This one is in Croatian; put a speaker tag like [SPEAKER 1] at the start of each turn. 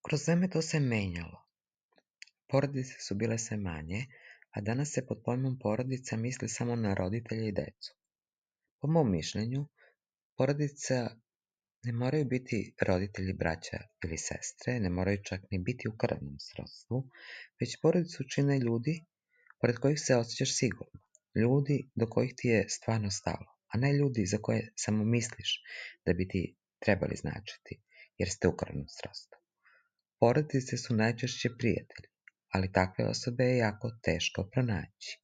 [SPEAKER 1] Kroz vreme to se menjalo. Porodice su bile sve manje, a danas se pod pojmom porodica misli samo na roditelje i decu. Po mom mišljenju, porodica ne moraju biti roditelji, braća ili sestre, ne moraju čak ni biti u krvnom srodstvu, već porodicu čine ljudi pored kojih se osjećaš sigurno, ljudi do kojih ti je stvarno stalo, a ne ljudi za koje samo misliš da bi ti trebali značiti, jer ste u krvnom srodstvu. Porodice su najčešće prijatelji, ali takve osobe je jako teško pronaći.